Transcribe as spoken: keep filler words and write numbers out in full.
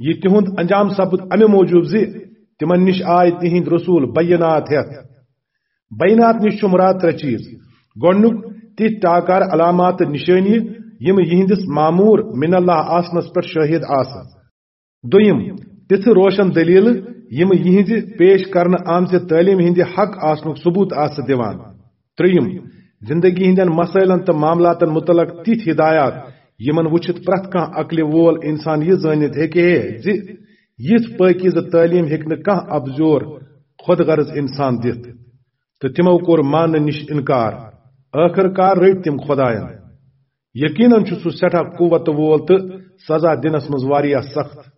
یہِ تِہُنٛد انجام سپُد امہِ موٗجوٗب زِ تِمن نِش آے تِہنٛدۍ رسول بینات ہٮ۪تھ۔ بینات نِش چھُ مراد ترٛےٚ چیز۔ گۄڈنیُک، تِتھۍ ٹاکار علامات تہٕ نشٲنی یِم یِہنٛدِس مامور من اللہ آسنس پٮ۪ٹھ شٲہد آسن۔ دوٚیِم، تِژھٕ روشن دٔلیٖلہٕ یِم یِہنٛزِ پیش کرنہٕ آمژِ تعلیٖم ہٕنٛدِ حق آسنُک ثبوت آسہٕ دِوان۔ ترٛیٚیِم، زندگی ہٕنٛدٮ۪ن مسٲیلن تہٕ معاملاتن متعلق تِتھۍ ہدایات یِمن وُچھِتھ پرٛٮ۪تھ کانٛہہ عقلِ وول انسان یہِ زٲنِتھ ہیٚکہِ ہے زِ یِژھ پٲکیزٕ تعلیٖم ہیٚکہِ نہٕ کانٛہہ اپزور خود غرض انسان دِتھ۔ تہٕ تِمو کوٚر ماننہٕ نِش انکار۔ ٲخٕر کار رٔٹۍ تِم خۄداین۔ یقیناً چھُ سُہ سٮ۪ٹھاہ قوت وول تہٕ سزا دِنس منٛز واریاہ سخت۔